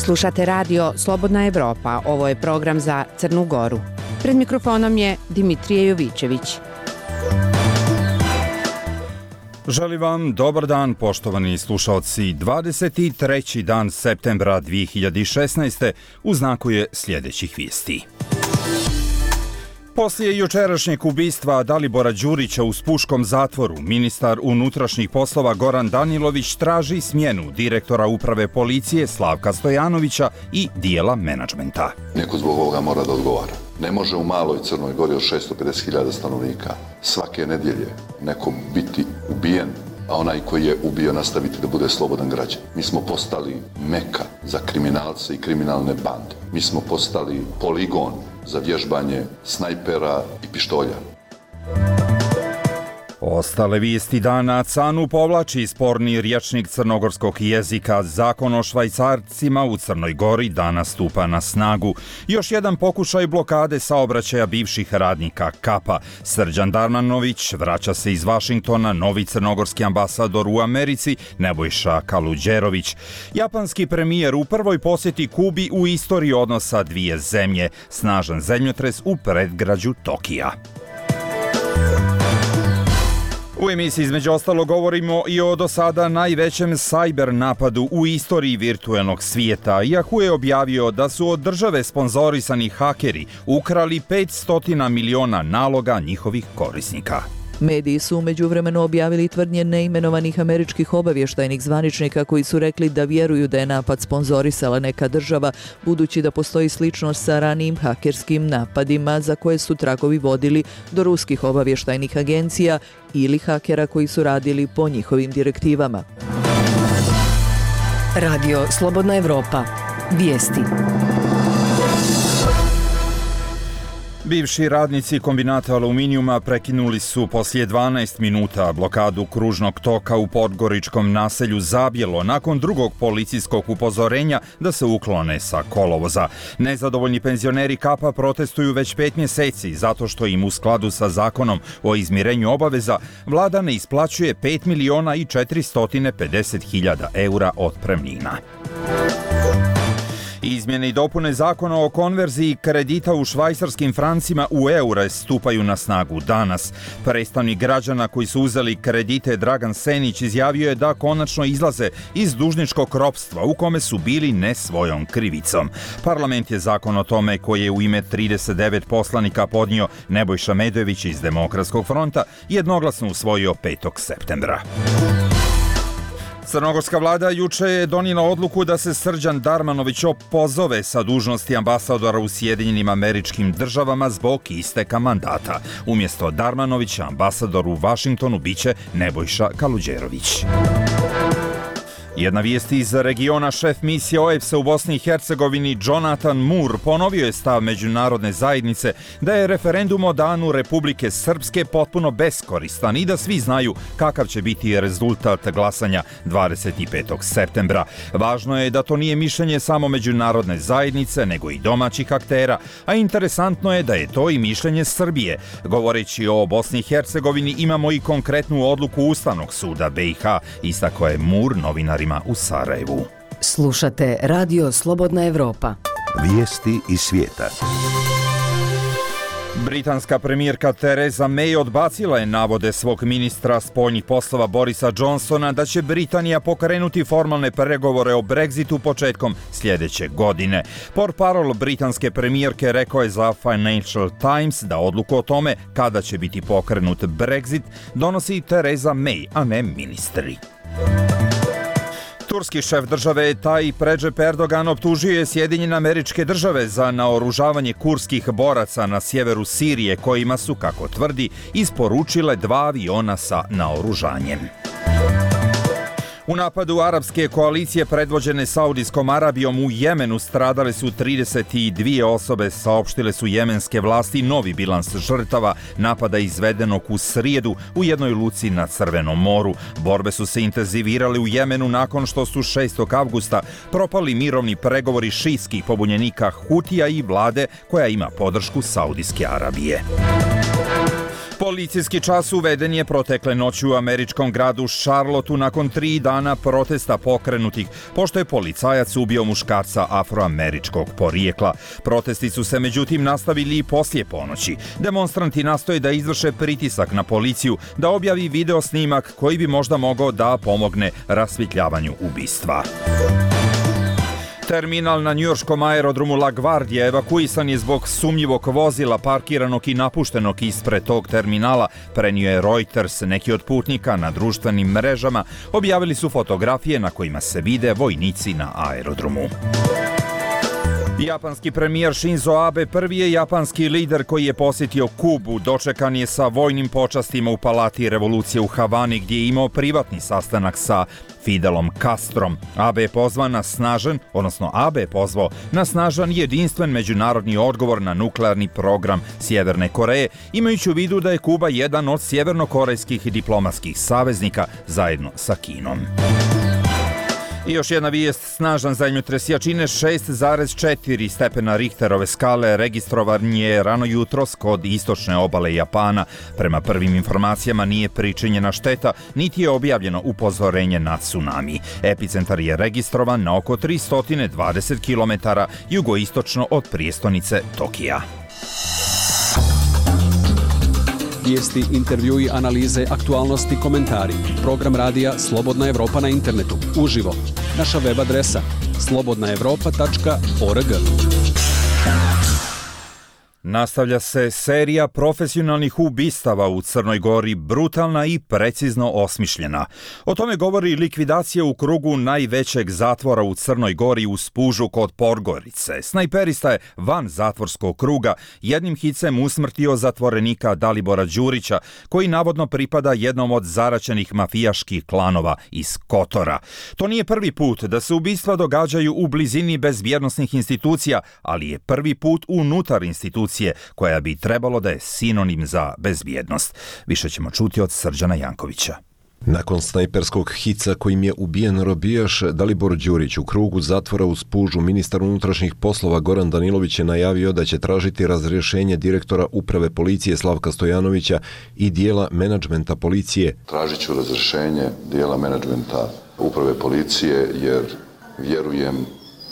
Slušate radio Slobodna Evropa, ovo je program za Crnu Goru. Pred mikrofonom je Dimitrije Jovićević. Želim vam dobar dan, poštovani slušaoci. 23. dan septembra 2016. u znaku je sljedećih vijesti. Poslije jučerašnjeg ubistva Dalibora Đurića u Spuškom zatvoru, ministar unutrašnjih poslova Goran Danilović traži smjenu direktora uprave policije Slavka Stojanovića i dijela menadžmenta. Neko zbog ovoga mora da odgovara. Ne može u maloj Crnoj Gori od 650.000 stanovnika svake nedjelje neko biti ubijen, a onaj koji je ubio nastaviti da bude slobodan građan. Mi smo postali meka za kriminalce i kriminalne bande. Mi smo postali poligon za vježbanje snajpera i pištolja. Ostale vijesti dana. CANU povlači sporni rječnik crnogorskog jezika. Zakon o švajcarcima u Crnoj Gori danas stupa na snagu. Još jedan pokušaj blokade saobraćaja bivših radnika KAPA. Srđan Darmanović vraća se iz Vašingtona, novi crnogorski ambasador u Americi Nebojša Kaluđerović. Japanski premijer u prvoj posjeti Kubi u istoriji odnosa dvije zemlje. Snažan zemljotres u predgrađu Tokija. U emisiji između ostalo govorimo i o do sada najvećem cyber napadu u istoriji virtualnog svijeta. Yahoo je objavio da su od države sponzorisani hakeri ukrali 500 miliona naloga njihovih korisnika. Mediji su u međuvremenu objavili tvrdnje neimenovanih američkih obavještajnih zvaničnika koji su rekli da vjeruju da je napad sponzorisala neka država, budući da postoji sličnost sa ranijim hakerskim napadima za koje su tragovi vodili do ruskih obavještajnih agencija ili hakera koji su radili po njihovim direktivama. Radio Slobodna Evropa. Vijesti. Bivši radnici kombinata aluminijuma prekinuli su poslije 12 minuta blokadu kružnog toka u podgoričkom naselju Zabjelo nakon drugog policijskog upozorenja da se uklone sa kolovoza. Nezadovoljni penzioneri KAPA protestuju već 5 mjeseci zato što im u skladu sa zakonom o izmirenju obaveza vlada ne isplaćuje 5.450.000 eura otpremnina. Izmjene i dopune zakona o konverziji kredita u švajcarskim francima u eure stupaju na snagu danas. Predstavnik građana koji su uzeli kredite Dragan Senić izjavio je da konačno izlaze iz dužničkog ropstva u kome su bili ne svojom krivicom. Parlament je zakon o tome koji je u ime 39 poslanika podnio Nebojša Medojević iz Demokratskog fronta jednoglasno usvojio 5. septembra. Crnogorska vlada juče je donijela odluku da se Srđan Darmanović opozove sa dužnosti ambasadora u Sjedinjenim Američkim Državama zbog isteka mandata. Umjesto Darmanovića ambasador u Vašingtonu biće Nebojša Kaluđerović. Jedna vijest iz regiona. Šef misije OEBS-a u Bosni i Hercegovini Jonathan Moore ponovio je stav međunarodne zajednice da je referendum o danu Republike Srpske potpuno beskoristan i da svi znaju kakav će biti rezultat glasanja 25. septembra. Važno je da to nije mišljenje samo međunarodne zajednice, nego i domaćih aktera, a interesantno je da je to i mišljenje Srbije. Govoreći o Bosni i Hercegovini imamo i konkretnu odluku Ustavnog suda BiH, istakao je Moore novinari u Sarajevu. Slušate radio Slobodna Evropa. Vijesti iz svijeta. Britanska premijerka Theresa May odbacila je navode svog ministra spoljnih poslova Borisa Johnsona da će Britanija pokrenuti formalne pregovore o Brexitu početkom sljedeće godine. Portparol britanske premijerke rekao je za Financial Times da odluku o tome kada će biti pokrenut Brexit donosi Theresa May, a ne ministri. Turski šef države Tayyip Recep Erdogan optužio je Sjedinjene Američke Države za naoružavanje kurdskih boraca na sjeveru Sirije kojima su, kako tvrdi, isporučile 2 aviona sa naoružanjem. U napadu arapske koalicije predvođene Saudijskom Arabijom u Jemenu stradale su 32 osobe, saopštile su jemenske vlasti novi bilans žrtava napada izvedenog u srijedu u jednoj luci na Crvenom moru. Borbe su se intenzivirale u Jemenu nakon što su 6. avgusta propali mirovni pregovori šijskih pobunjenika Hutija i vlade koja ima podršku Saudijske Arabije. Policijski čas uveden je protekle noći u američkom gradu Charlotteu nakon 3 dana protesta pokrenutih, pošto je policajac ubio muškarca afroameričkog porijekla. Protesti su se međutim nastavili i poslije ponoći. Demonstranti nastoje da izvrše pritisak na policiju da objavi video snimak koji bi možda mogao da pomogne rasvjetljavanju ubistva. Terminal na njujorškom aerodromu LaGuardia evakuisan je zbog sumnjivog vozila parkiranog i napuštenog ispred tog terminala, prenio je Reuters. Neki od putnika na društvenim mrežama objavili su fotografije na kojima se vide vojnici na aerodromu. Japanski premijer Shinzo Abe prvi je japanski lider koji je posjetio Kubu. Dočekan je sa vojnim počastima u Palati revolucije u Havani, gdje je imao privatni sastanak sa Fidelom Castrom. Abe je pozvao na snažan jedinstven međunarodni odgovor na nuklearni program Sjeverne Koreje, imajući u vidu da je Kuba jedan od sjevernokorejskih diplomatskih saveznika zajedno sa Kinom. I još jedna vijest, snažan zemljotres jačine 6,4 stepena Richterove skale registrovan je rano jutros kod istočne obale Japana. Prema prvim informacijama nije pričinjena šteta, niti je objavljeno upozorenje na tsunami. Epicentar je registrovan na oko 320 km jugoistočno od prijestolnice Tokija. Vijesti, intervjui, analize, aktualnosti, komentari. Program radija Slobodna Evropa na internetu. Uživo. Naša web adresa slobodnaevropa.org. Nastavlja se serija profesionalnih ubistava u Crnoj Gori, brutalna i precizno osmišljena. O tome govori likvidacija u krugu najvećeg zatvora u Crnoj Gori u Spužu kod Podgorice. Snajperista je van zatvorskog kruga jednim hicem usmrtio zatvorenika Dalibora Đurića, koji navodno pripada jednom od zaraćenih mafijaških klanova iz Kotora. To nije prvi put da se ubistva događaju u blizini bezbjednosnih institucija, ali je prvi put unutar institucija koja bi trebalo da je sinonim za bezbjednost. Više ćemo čuti od Srđana Jankovića. Nakon snajperskog hica kojim je ubijen robijaš Dalibor Đurić u krugu zatvora u Spužu, ministar unutrašnjih poslova Goran Danilović je najavio da će tražiti razrješenje direktora uprave policije Slavka Stojanovića i dijela menadžmenta policije. Tražit ću razrješenje dijela menadžmenta uprave policije jer vjerujem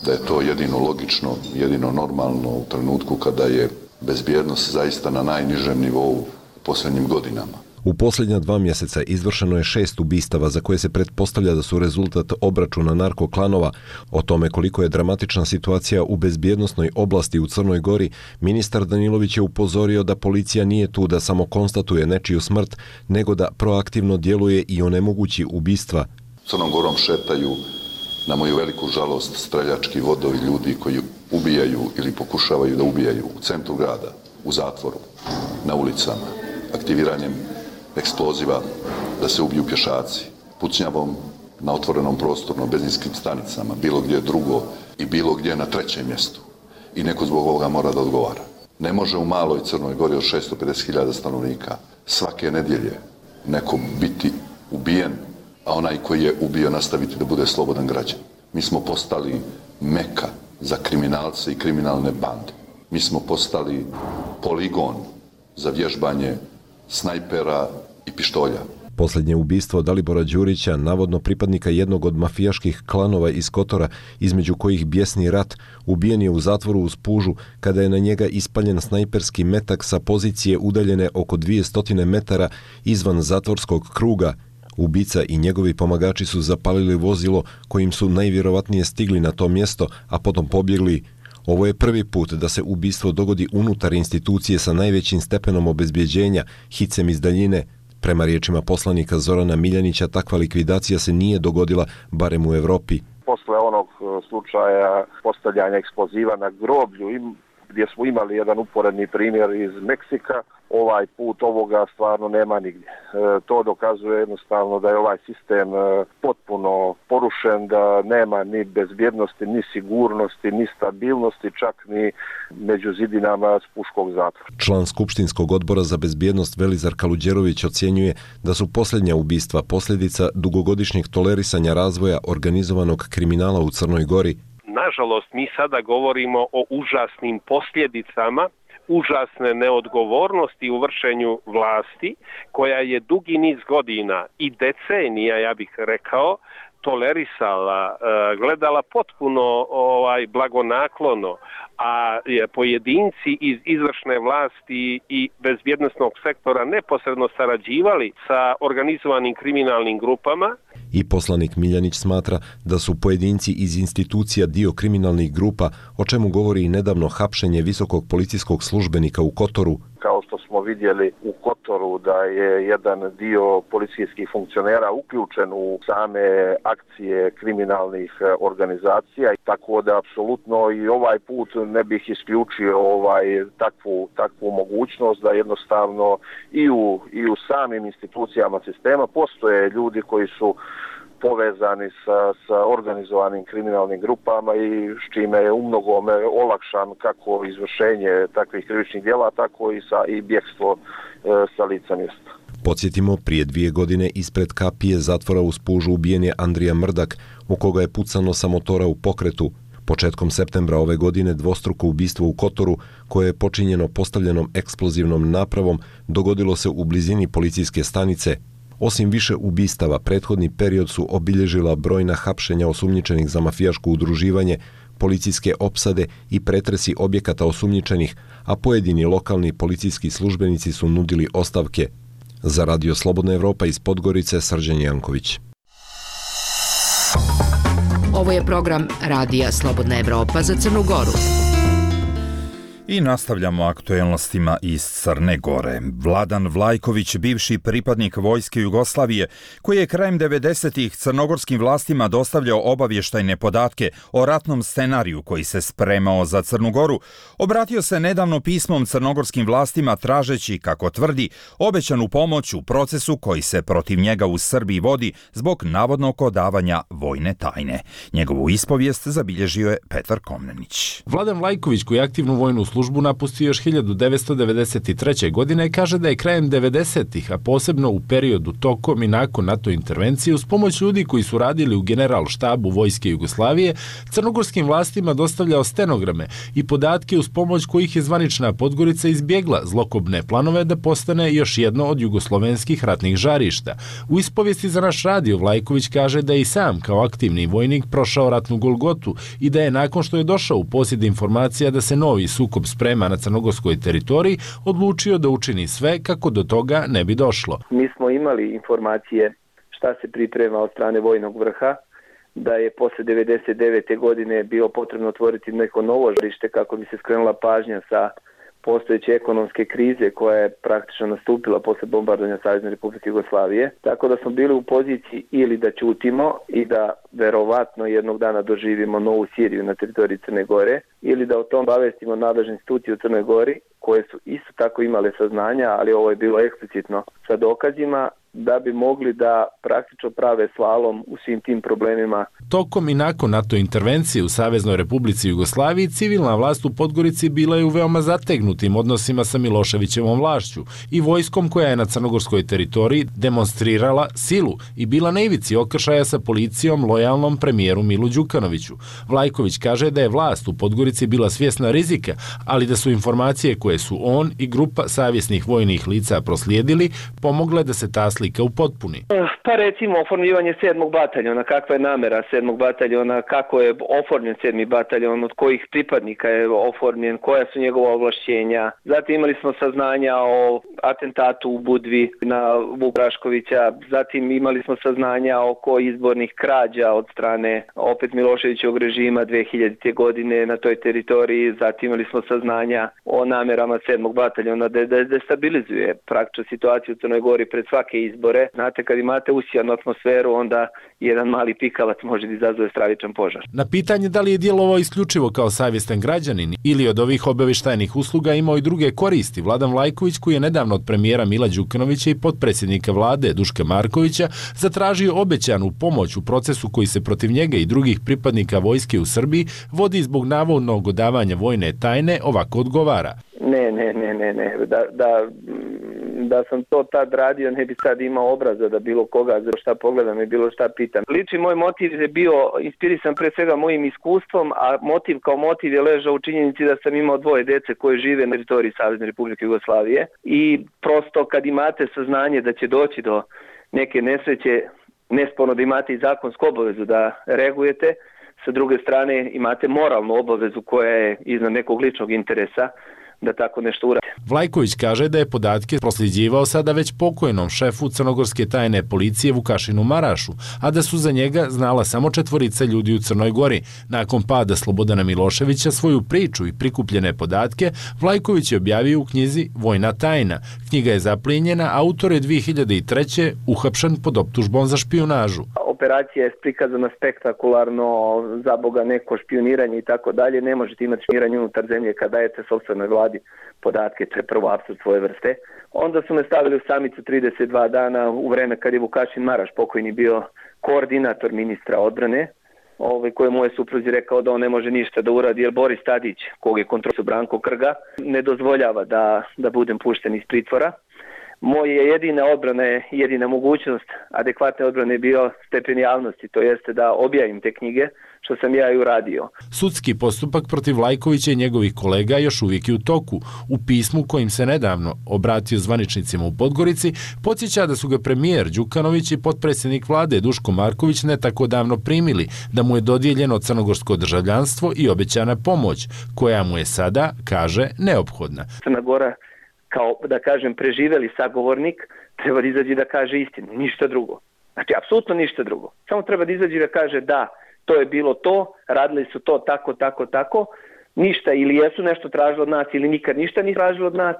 da je to jedino logično, jedino normalno u trenutku kada je bezbjednost zaista na najnižem nivou u posljednjim godinama. U posljednja 2 mjeseca izvršeno je 6 ubistava za koje se pretpostavlja da su rezultat obračuna narkoklanova. O tome koliko je dramatična situacija u bezbjednosnoj oblasti u Crnoj Gori, ministar Danilović je upozorio da policija nije tu da samo konstatuje nečiju smrt, nego da proaktivno djeluje i onemogući ubistva. Crnom Gorom šetaju, na moju veliku žalost, streljački vodovi ljudi koji ubijaju ili pokušavaju da ubijaju u centru grada, u zatvoru, na ulicama, aktiviranjem eksploziva da se ubiju pješaci, pucnjavom na otvorenom prostoru, na benzinskim stanicama, bilo gdje drugo i bilo gdje na trećem mjestu. I neko zbog ovoga mora da odgovara. Ne može u maloj Crnoj Gori od 650.000 stanovnika svake nedjelje neko biti ubijen, a onaj koji je ubio nastaviti da bude slobodan građan. Mi smo postali meka za kriminalce i kriminalne bande. Mi smo postali poligon za vježbanje snajpera i pištolja. Posljednje ubistvo Dalibora Đurića, navodno pripadnika jednog od mafijaških klanova iz Kotora, između kojih bijesni rat, ubijen je u zatvoru u Spužu kada je na njega ispaljen snajperski metak sa pozicije udaljene oko 200 metara izvan zatvorskog kruga. Ubica i njegovi pomagači su zapalili vozilo kojim su najvjerovatnije stigli na to mjesto, a potom pobjegli. Ovo je prvi put da se ubistvo dogodi unutar institucije sa najvećim stepenom obezbjeđenja, hicem iz daljine. Prema riječima poslanika Zorana Miljanića, takva likvidacija se nije dogodila, barem u Evropi. Posle onog slučaja postavljanja eksploziva na groblju, gdje smo imali jedan uporedni primjer iz Meksika, ovaj put ovoga stvarno nema nigdje. To dokazuje jednostavno da je ovaj sistem potpuno porušen, da nema ni bezbjednosti, ni sigurnosti, ni stabilnosti, čak ni među zidinama Spuškog zatvora. Član Skupštinskog odbora za bezbjednost Velizar Kaluđerović ocjenjuje da su posljednja ubistva posljedica dugogodišnjeg tolerisanja razvoja organizovanog kriminala u Crnoj Gori. Naš nažalost, mi sada govorimo o užasnim posljedicama užasne neodgovornosti u vršenju vlasti, koja je dugi niz godina i decenija, ja bih rekao, tolerisala, gledala potpuno blagonaklono, a pojedinci iz izvršne vlasti i bezbjednosnog sektora neposredno sarađivali sa organizovanim kriminalnim grupama. I poslanik Miljanić smatra da su pojedinci iz institucija dio kriminalnih grupa, o čemu govori i nedavno hapšenje visokog policijskog službenika u Kotoru. Kao što smo vidjeli u Kotoru da je jedan dio policijskih funkcionera uključen u same akcije kriminalnih organizacija, tako da apsolutno i ovaj put ne bih isključio takvu mogućnost da jednostavno i u samim institucijama sistema postoje ljudi koji su povezani sa organizovanim kriminalnim grupama i s čime je umnogome olakšan kako izvršenje takvih krivičnih djela, tako i bjegstvo sa lica mjesta. Podsjetimo, prije 2 godine ispred kapije zatvora u Spužu ubijen je Andrija Mrdak, u koga je pucano sa motora u pokretu. Početkom septembra ove godine dvostruko ubistvo u Kotoru, koje je počinjeno postavljenom eksplozivnom napravom, dogodilo se u blizini policijske stanice. Osim više ubistava, prethodni period su obilježila brojna hapšenja osumnjičenih za mafijaško udruživanje, policijske opsade i pretresi objekata osumnjičenih, a pojedini lokalni policijski službenici su nudili ostavke. Za Radio Slobodna Evropa iz Podgorice, Srđan Janković. Ovo je program Radija Slobodna Evropa za Crnu Goru. I nastavljamo aktuelnostima iz Crne Gore. Vladan Vlajković, bivši pripadnik Vojske Jugoslavije, koji je krajem 90-ih crnogorskim vlastima dostavljao obavještajne podatke o ratnom scenariju koji se spremao za Crnu Goru, obratio se nedavno pismom crnogorskim vlastima tražeći, kako tvrdi, obećanu pomoć u procesu koji se protiv njega u Srbiji vodi zbog navodnog odavanja vojne tajne. Njegovu ispovijest zabilježio je Petar Komnenić. Vladan Vlajković, koji je aktivnu vojnu službu napustio još 1993. godine, kaže da je krajem 90-ih, a posebno u periodu tokom i nakon NATO intervencije, uz pomoć ljudi koji su radili u general štabu Vojske Jugoslavije, crnogorskim vlastima dostavljao stenograme i podatke uz pomoć kojih je zvanična Podgorica izbjegla zlokobne planove da postane još jedno od jugoslovenskih ratnih žarišta. U ispovijesti za naš radio Vlajković kaže da je i sam kao aktivni vojnik prošao ratnu golgotu i da je nakon što je došao u posjed informacija da se novi sukob sprema na crnogorskoj teritoriji, odlučio da učini sve kako do toga ne bi došlo. Mi smo imali informacije šta se priprema od strane vojnog vrha, da je posle 99. godine bilo potrebno otvoriti neko novo žarište kako bi se skrenula pažnja sa postojeće ekonomske krize koja je praktično nastupila posle bombardovanja Savezne Republike Jugoslavije. Tako da smo bili u poziciji ili da ćutimo i da verovatno jednog dana doživimo novu Siriju na teritoriji Crne Gore, ili da o tom obavestimo nadležne institucije u Crnoj Gori, koje su isto tako imale saznanja, ali ovo je bilo eksplicitno sa dokazima, da bi mogli da praktično prave slalom u svim tim problemima. Tokom i nakon NATO intervencije u Saveznoj Republici Jugoslaviji, civilna vlast u Podgorici bila je u veoma zategnutim odnosima sa Miloševićevom vlašću i vojskom koja je na crnogorskoj teritoriji demonstrirala silu i bila na ivici okršaja sa policijom lojalnom premijeru Milu Đukanoviću. Vlajković kaže da je vlast u Podgorici bila svjesna rizika, ali da su informacije koje su on i grupa savjesnih vojnih lica proslijedili pomogle da se ta slika upotpuni. Pa recimo oformljivanje 7. bataljona, kakva je namera 7. bataljona, kako je oformljen 7. bataljon, od kojih pripadnika je oformljen, koja su njegova ovlašćenja. Zatim imali smo saznanja o atentatu u Budvi na Vuk Raškovića, zatim imali smo saznanja oko izbornih krađa od strane opet Miloševićevog režima 2000. godine na toj teritoriji, zatim imali smo saznanja o namerama 7. bataljona da destabilizuje praktično situaciju u Crnoj Gori pred svake izbore. Znate, kad imate usijanu atmosferu, onda jedan mali pikavac može da izazove stravičan požar. Na pitanje da li je djelovao isključivo kao savjestan građanin ili od ovih obavještajnih usluga imao i druge koristi, Vladan Vlajković, koji je nedavno od premijera Mila Đukanovića i potpredsjednika vlade Duška Markovića zatražio obećanu pomoć u procesu koji se protiv njega i drugih pripadnika vojske u Srbiji vodi zbog navodnog odavanja vojne tajne, ovako odgovara. Ne. Da sam to tad radio, ne bi sad imao obraza da bilo koga za šta pogledam i bilo šta pitam. Lični moj motiv je bio inspirisan pre svega mojim iskustvom, a motiv kao motiv je ležao u činjenici da sam imao 2 dece koje žive na teritoriji Savezne Republike Jugoslavije i prosto kad imate saznanje da će doći do neke nesreće, nesporno da imate i zakonsku obavezu da reagujete, sa druge strane imate moralnu obavezu koja je iznad nekog ličnog interesa da tako nešto uradi. Vlajković kaže da je podatke prosljeđivao sada već pokojnom šefu crnogorske tajne policije Vukašinu Marašu, a da su za njega znala samo 4 ljudi u Crnoj Gori. Nakon pada Slobodana Miloševića svoju priču i prikupljene podatke Vlajković je objavio u knjizi Vojna tajna. Knjiga je zaplijenjena, autor je 2003. uhapšen pod optužbom za špijunažu. Operacija je prikazana spektakularno, za Boga neko špijuniranje i tako dalje. Ne možete imati špijuniranje unutar zemlje kada dajete sopstvenoj vladi podatke, to je prvo apsurd svoje vrste. Onda su me stavili u samicu 32 dana u vreme kad je Vukašin Maraš pokojni bio koordinator ministra odbrane, kojemu je supruzi rekao da on ne može ništa da uradi jer Boris Tadić, kog je kontrolio Branko Krga, ne dozvoljava da budem pušten iz pritvora. Moja jedina odbrana je, jedina mogućnost adekvatne odbrane je bio stepen javnosti, to jeste da objavim te knjige, što sam ja i uradio. Sudski postupak protiv Vlajkovića i njegovih kolega još uvijek je u toku. U pismu kojim se nedavno obratio zvaničnicima u Podgorici, podsjeća da su ga premijer Đukanović i potpredsjednik vlade Duško Marković ne tako davno primili, da mu je dodijeljeno crnogorsko državljanstvo i obećana pomoć, koja mu je sada, kaže, neophodna. Crna Gora, kao da kažem preživeli sagovornik, treba da izađe da kaže istinu, ništa drugo. Znači, apsolutno ništa drugo. Samo treba da izađe da kaže da, to je bilo to, radili su to tako, ništa ili jesu nešto tražili od nas ili nikad ništa nisu tražili od nas.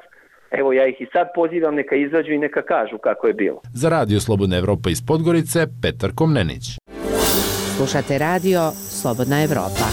Evo, ja ih i sad pozivam, neka izađu i neka kažu kako je bilo. Za Radio Slobodna Evropa iz Podgorice, Petar Komnenić. Slušate radio Slobodna Evropa.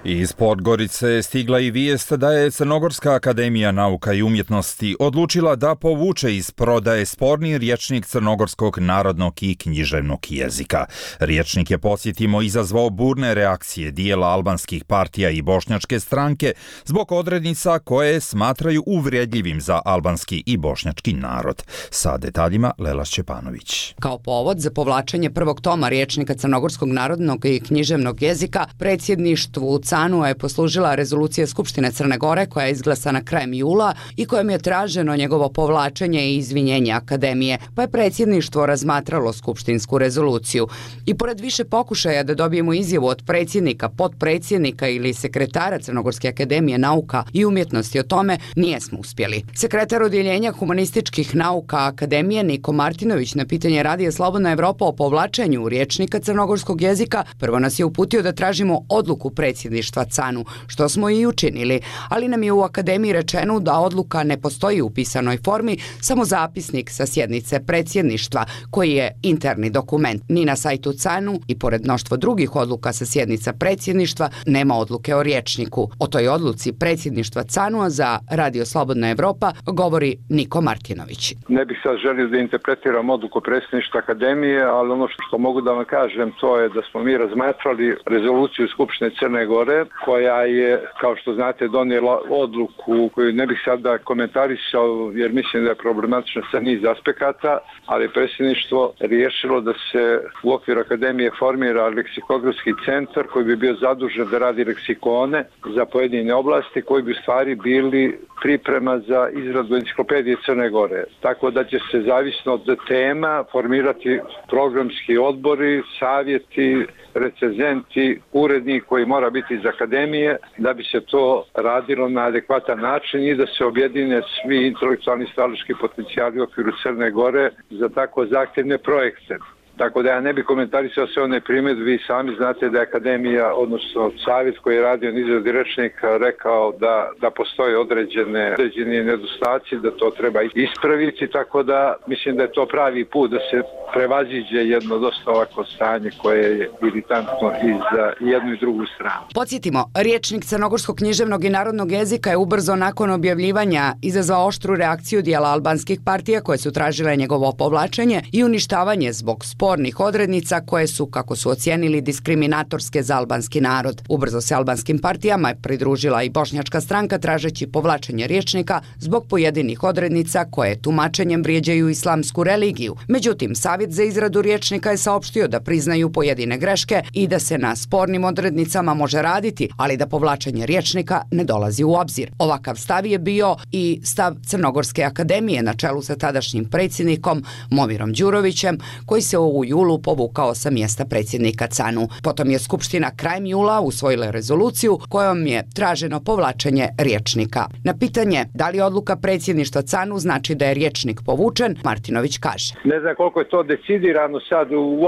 Iz Podgorice je stigla i vijest da je Crnogorska akademija nauka i umjetnosti odlučila da povuče iz prodaje sporni rječnik crnogorskog narodnog i književnog jezika. Rječnik je, podsjetimo, izazvao burne reakcije dijela albanskih partija i bošnjačke stranke zbog odrednica koje smatraju uvredljivim za albanski i bošnjački narod. Sa detaljima Lela Šćepanović. Kao povod za povlačenje prvog toma rječnika crnogorskog narodnog i književnog jezika, predsjedništvu CANU je poslužila rezolucija Skupštine Crne Gore koja je izglasana krajem jula i kojom je traženo njegovo povlačenje i izvinjenje akademije, pa je predsjedništvo razmatralo skupštinsku rezoluciju. I pored više pokušaja da dobijemo izjavu od predsjednika, potpredsjednika ili sekretara Crnogorske akademije nauka i umjetnosti o tome, nijesmo uspjeli. Sekretar odjeljenja humanističkih nauka akademije Niko Martinović na pitanje Radija Slobodna Evropa o povlačenju rječnika crnogorskog jezika prvo nas je uputio da tražimo odluku predsjedništva CANU, što smo i učinili, ali nam je u akademiji rečeno da odluka ne postoji u pisanoj formi, samo zapisnik sa sjednice predsjedništva, koji je interni dokument. Ni na sajtu CANU i pored mnoštvo drugih odluka sa sjednica predsjedništva nema odluke o rječniku. O toj odluci predsjedništva CANU-a za Radio Slobodna Evropa govori Niko Martinović. Ne bih sad želio da interpretiram odluku predsjedništva akademije, ali ono što mogu da vam kažem to je da smo mi razmatrali rezoluciju Skupštine Crne Gore koja je, kao što znate, donijela odluku koju ne bih sada komentarisao jer mislim da je problematična sa niz aspekata, ali predsjedništvo riješilo da se u okviru akademije formira leksikografski centar koji bi bio zadužen da radi leksikone za pojedine oblasti koji bi u stvari bili priprema za izradu enciklopedije Crne Gore. Tako da će se zavisno od tema formirati programski odbori, savjeti, recenzenti, urednik koji mora biti iz akademije da bi se to radilo na adekvatan način i da se objedine svi intelektualni stvaralački potencijali u okviru Crne Gore za tako zahtjevne projekte. Tako da ja ne bih komentarisao sve one primjedbe, vi sami znate da je akademija, odnosno savjet koji je radio na izradi rječnika rekao da postoje određeni nedostaci, da to treba ispraviti, tako da mislim da je to pravi put da se prevaziđe jedno dosta ovako stanje koje je iritantno i za jednu i drugu stranu. Podsjetimo, rječnik crnogorskog književnog i narodnog jezika je ubrzo nakon objavljivanja izazvao oštru reakciju dijela albanskih partija koje su tražile njegovo povlačenje i uništavanje zbog spornih odrednica koje su, kako su ocijenili, diskriminatorske za albanski narod. Ubrzo se albanskim partijama je pridružila i Bošnjačka stranka tražeći povlačenje rječnika zbog pojedinih odrednica koje tumačenjem vrijeđaju islamsku religiju. Međutim, Savjet za izradu rječnika je saopštio da priznaju pojedine greške i da se na spornim odrednicama može raditi, ali da povlačenje rječnika ne dolazi u obzir. Ovakav stav je bio i stav Crnogorske akademije na čelu sa tadašnjim predsjednikom Momirom Đurovićem, koji se u julu povukao sa mjesta predsjednika CANU. Potom je Skupština krajem jula usvojila rezoluciju kojom je traženo povlačenje rječnika. Na pitanje da li odluka predsjedništva CANU znači da je rječnik povučen, Martinović kaže: Ne znam koliko je to decidirano sad u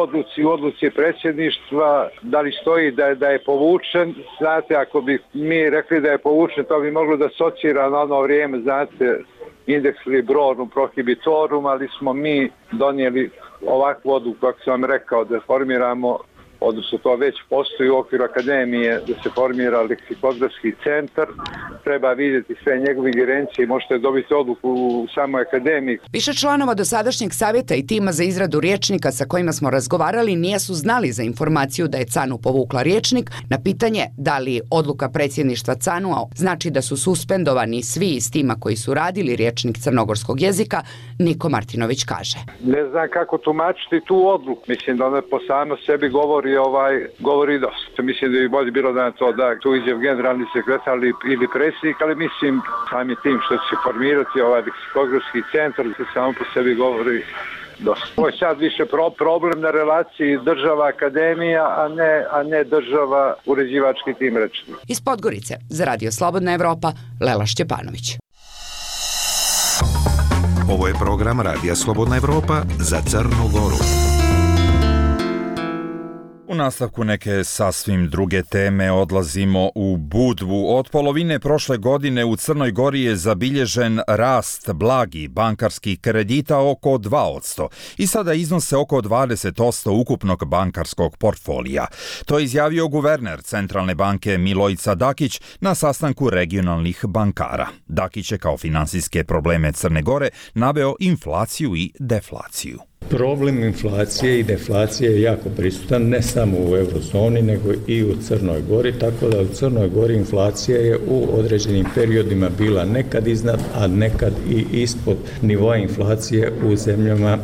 odluci predsjedništva, da li stoji da je povučen. Znate, ako bi mi rekli da je povučen, to bi moglo da asocira na ono vrijeme, znate, indeks librorum prohibitorum, ali smo mi donijeli ovakvu odluku, kako sam vam rekao, da formiramo, odnosno to već postoji u okviru akademije, da se formira leksikografski centar, treba vidjeti sve njegove ingerencije i možete dobiti odluku u samoj akademiji. Više članova dosadašnjeg savjeta i tima za izradu rječnika sa kojima smo razgovarali nisu znali za informaciju da je CANU povukla rječnik. Na pitanje da li odluka predsjedništva CANU-a znači da su suspendovani svi iz tima koji su radili rječnik crnogorskog jezika, Niko Martinović kaže: Ne znam kako tumačiti tu odluku. Mislim da ona po samo sebi govori dosta. Mislim da bi bolje bilo da to da tu izjav generalni sekretar ili predsjednik, ali mislim sami tim što će formirati ovaj leksikografski centar se samo po sebi govori dosta. Ovo je sad više problem na relaciji država-akademija, a ne država-uređivački tim rečni. Iz Podgorice za Radio Slobodna Evropa, Lela Šćepanović. Ovo je program Radija Slobodna Evropa za Crnu Goru. U nastavku neke sasvim druge teme odlazimo u Budvu. Od polovine prošle godine u Crnoj Gori je zabilježen rast blagi bankarskih kredita oko 2% i sada iznose oko 20% ukupnog bankarskog portfolija. To je izjavio guverner Centralne banke Milojica Dakić na sastanku regionalnih bankara. Dakić je kao finansijske probleme Crne Gore naveo inflaciju i deflaciju. Problem inflacije i deflacije je jako prisutan ne samo u eurozoni nego i u Crnoj Gori, tako da u Crnoj Gori inflacija je u određenim periodima bila nekad iznad, a nekad i ispod nivoa inflacije u zemljama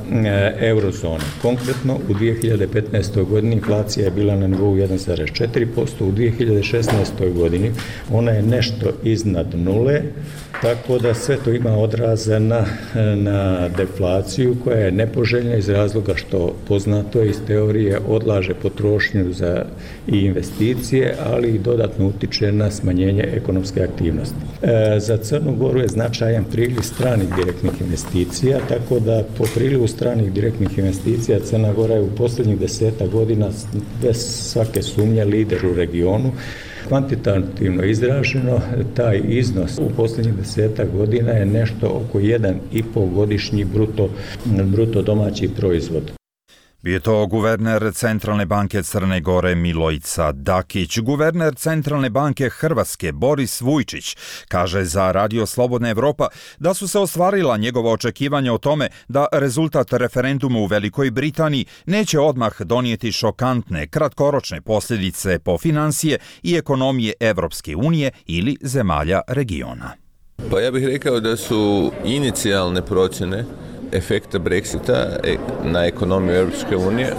eurozone. Konkretno u 2015. godini inflacija je bila na nivou 1,4%, u 2016. godini ona je nešto iznad nule, tako da sve to ima odraza na deflaciju koja je nepoželjna iz razloga što poznato je iz teorije odlaže potrošnju za i investicije, ali i dodatno utiče na smanjenje ekonomske aktivnosti. Za Crnu Goru je značajan priliv stranih direktnih investicija, tako da po prilivu stranih direktnih investicija Crna Gora je u posljednjih 10 godina bez svake sumnje lider u regionu. Kvantitativno izraženo, taj iznos u posljednjih 10 godina je nešto oko 1,5 godišnji bruto domaći proizvod. Bio je to guverner Centralne banke Crne Gore Milojica Dakić. Guverner Centralne banke Hrvatske Boris Vujčić kaže za Radio Slobodna Evropa da su se ostvarila njegova očekivanja o tome da rezultat referenduma u Velikoj Britaniji neće odmah donijeti šokantne, kratkoročne posljedice po financije i ekonomije Evropske unije ili zemalja regiona. Pa ja bih rekao da su inicijalne procjene efekta Brexita na ekonomiju Europske unije,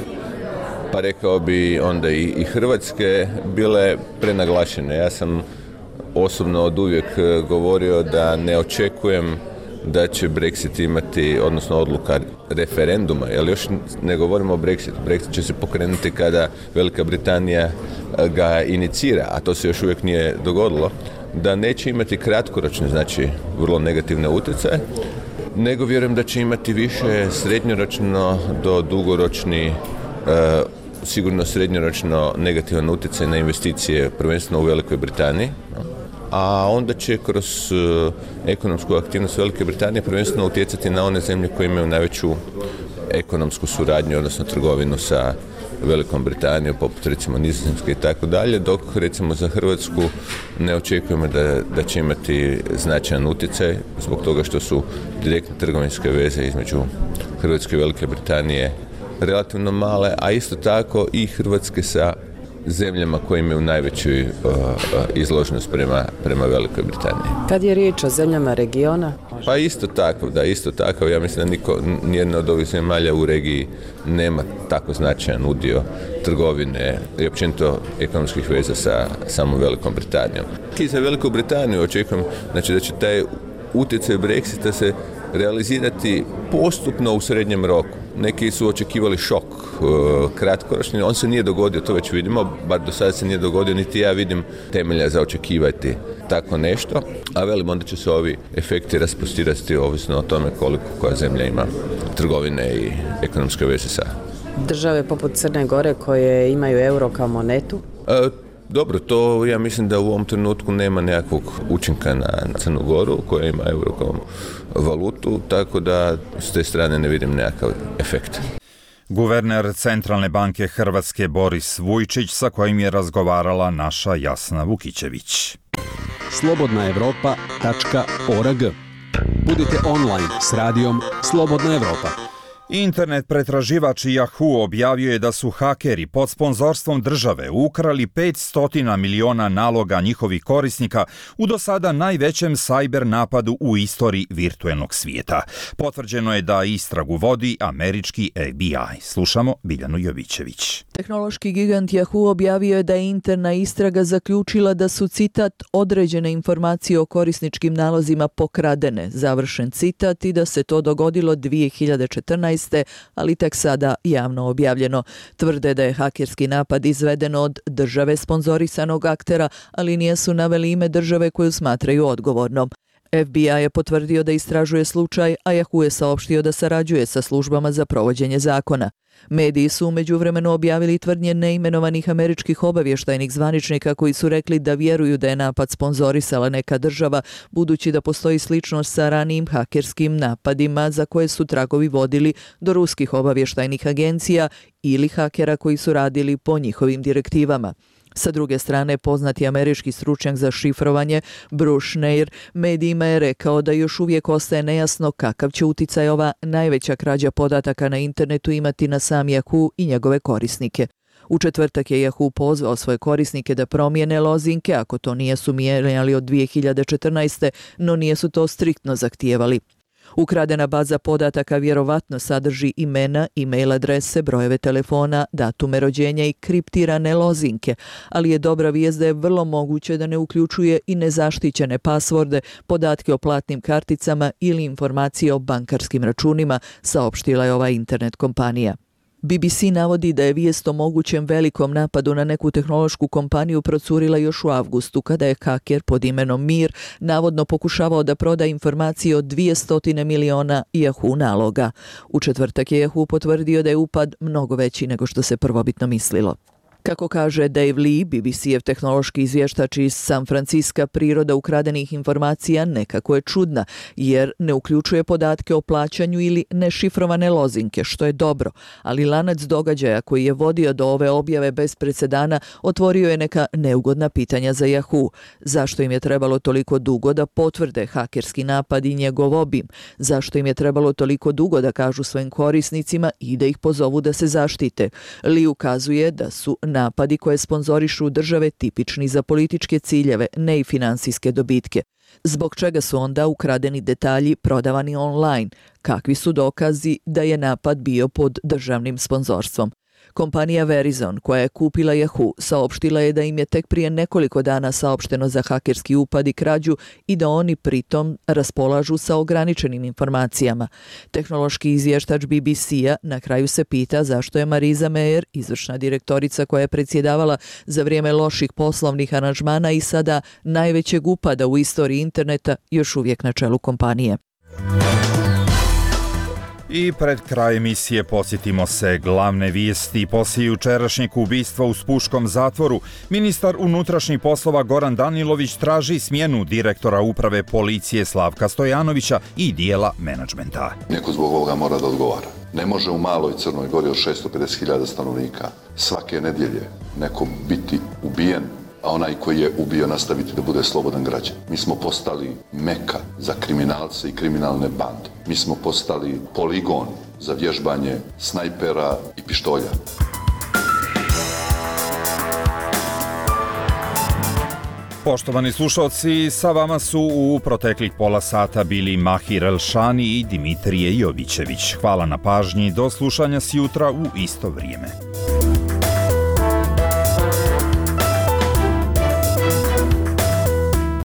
pa rekao bi onda i Hrvatske, bile prenaglašene. Ja sam osobno oduvijek govorio da ne očekujem da će Brexit imati, odnosno odluka referenduma, jer još ne govorimo o Brexitu. Brexit će se pokrenuti kada Velika Britanija ga inicira, a to se još uvijek nije dogodilo, da neće imati kratkoročne, znači vrlo negativne utjecaje, nego vjerujem da će imati više srednjoročno do dugoročni, sigurno srednjoročno negativan utjecaj na investicije, prvenstveno u Velikoj Britaniji, a onda će kroz ekonomsku aktivnost Velike Britanije prvenstveno utjecati na one zemlje koje imaju najveću ekonomsku suradnju, odnosno trgovinu sa Velikom Britanijom, poput recimo Nizozemske i tako dalje, dok recimo za Hrvatsku ne očekujemo da će imati značajan utjecaj zbog toga što su direktne trgovinske veze između Hrvatske i Velike Britanije relativno male, a isto tako i Hrvatske sa zemljama koje imaju najveću izloženost prema Velikoj Britaniji. Kad je riječ o zemljama regiona? Pa isto tako. Ja mislim da nijedna od ovih zemalja u regiji nema tako značajan udio trgovine i općenito ekonomskih veza sa samom Velikom Britanijom. I za Veliku Britaniju očekujem da će taj utjecaj Brexita se realizirati postupno u srednjem roku. Neki su očekivali šok kratkoročni, on se nije dogodio, to već vidimo, bar do sada se nije dogodio, niti ja vidim temelja za očekivati tako nešto, a velim onda će se ovi efekti raspostirati ovisno o tome koliko koja zemlja ima trgovine i ekonomske veze sa. Države poput Crne Gore koje imaju euro kao monetu? Dobro, to ja mislim da u ovom trenutku nema nekakvog učinka na Crnu Goru koja ima euro kao valutu, tako da s te strane ne vidim nekakav efekt. Guverner Centralne banke Hrvatske Boris Vujčić sa kojim je razgovarala naša Jasna Vukićević. slobodnaevropa.org. Budite online s radijom Slobodna Evropa. Internet pretraživač Yahoo objavio je da su hakeri pod sponzorstvom države ukrali 500 miliona naloga njihovih korisnika u do sada najvećem sajber napadu u istoriji virtuelnog svijeta. Potvrđeno je da istragu vodi američki FBI. Slušamo Biljanu Jovićević. Tehnološki gigant Yahoo objavio je da je interna istraga zaključila da su, citat, određene informacije o korisničkim nalozima pokradene, završen citat, i da se to dogodilo 2014. ali tek sada javno objavljeno. Tvrde da je hakerski napad izveden od države sponzorisanog aktera, ali nisu naveli ime države koju smatraju odgovornom. FBI je potvrdio da istražuje slučaj, a Yahoo je saopštio da sarađuje sa službama za provođenje zakona. Mediji su u međuvremenu objavili tvrdnje neimenovanih američkih obavještajnih zvaničnika koji su rekli da vjeruju da je napad sponzorisala neka država, budući da postoji sličnost sa ranijim hakerskim napadima za koje su tragovi vodili do ruskih obavještajnih agencija ili hakera koji su radili po njihovim direktivama. Sa druge strane, poznati američki stručnjak za šifrovanje Bruce Schneier medijima je rekao da još uvijek ostaje nejasno kakav će uticaj ova najveća krađa podataka na internetu imati na sam Yahoo i njegove korisnike. U četvrtak je Yahoo pozvao svoje korisnike da promijene lozinke ako to nisu mijenjali od 2014. no nisu to striktno zahtijevali. Ukradena baza podataka vjerovatno sadrži imena, e-mail adrese, brojeve telefona, datume rođenja i kriptirane lozinke, ali je dobra vijest da je vrlo moguće da ne uključuje i nezaštićene pasvorde, podatke o platnim karticama ili informacije o bankarskim računima, saopštila je ova internet kompanija. BBC navodi da je vijest o mogućem velikom napadu na neku tehnološku kompaniju procurila još u avgustu, kada je haker pod imenom Mir navodno pokušavao da proda informacije o 200 miliona Yahoo naloga. U četvrtak je Yahoo potvrdio da je upad mnogo veći nego što se prvobitno mislilo. Kako kaže Dave Lee, BBC-ev tehnološki izvještač iz San Francisca, priroda ukradenih informacija nekako je čudna, jer ne uključuje podatke o plaćanju ili nešifrovane lozinke, što je dobro, ali lanac događaja koji je vodio do ove objave bez presedana otvorio je neka neugodna pitanja za Yahoo. Zašto im je trebalo toliko dugo da potvrde hakerski napad i njegov obim? Zašto im je trebalo toliko dugo da kažu svojim korisnicima i da ih pozovu da se zaštite? Lee ukazuje da su napadi koje sponzorišu države tipični za političke ciljeve, ne i finansijske dobitke. Zbog čega su onda ukradeni detalji prodavani online? Kakvi su dokazi da je napad bio pod državnim sponzorstvom? Kompanija Verizon, koja je kupila Yahoo, saopštila je da im je tek prije nekoliko dana saopšteno za hakerski upad i krađu i da oni pritom raspolažu sa ograničenim informacijama. Tehnološki izvještač BBC-a na kraju se pita zašto je Marisa Mayer, izvršna direktorica koja je predsjedavala za vrijeme loših poslovnih aranžmana i sada najvećeg upada u istoriji interneta, još uvijek na čelu kompanije. I pred kraj emisije podsjetimo se glavne vijesti. Poslije jučerašnjeg ubistva u Spuškom zatvoru, ministar unutrašnjih poslova Goran Danilović traži smjenu direktora uprave policije Slavka Stojanovića i dijela menadžmenta. Neko zbog ovoga mora da odgovara. Ne može u maloj Crnoj Gori od 650.000 stanovnika svake nedjelje neko biti ubijen, a onaj koji je ubio nastaviti da bude slobodan građan. Mi smo postali meka za kriminalce i kriminalne bande. Mi smo postali poligon za vježbanje snajpera i pištolja. Poštovani slušalci, sa vama su u proteklih pola sata bili Mahir Elšani i Dimitrije Jovićević. Hvala na pažnji, do slušanja sjutra u isto vrijeme.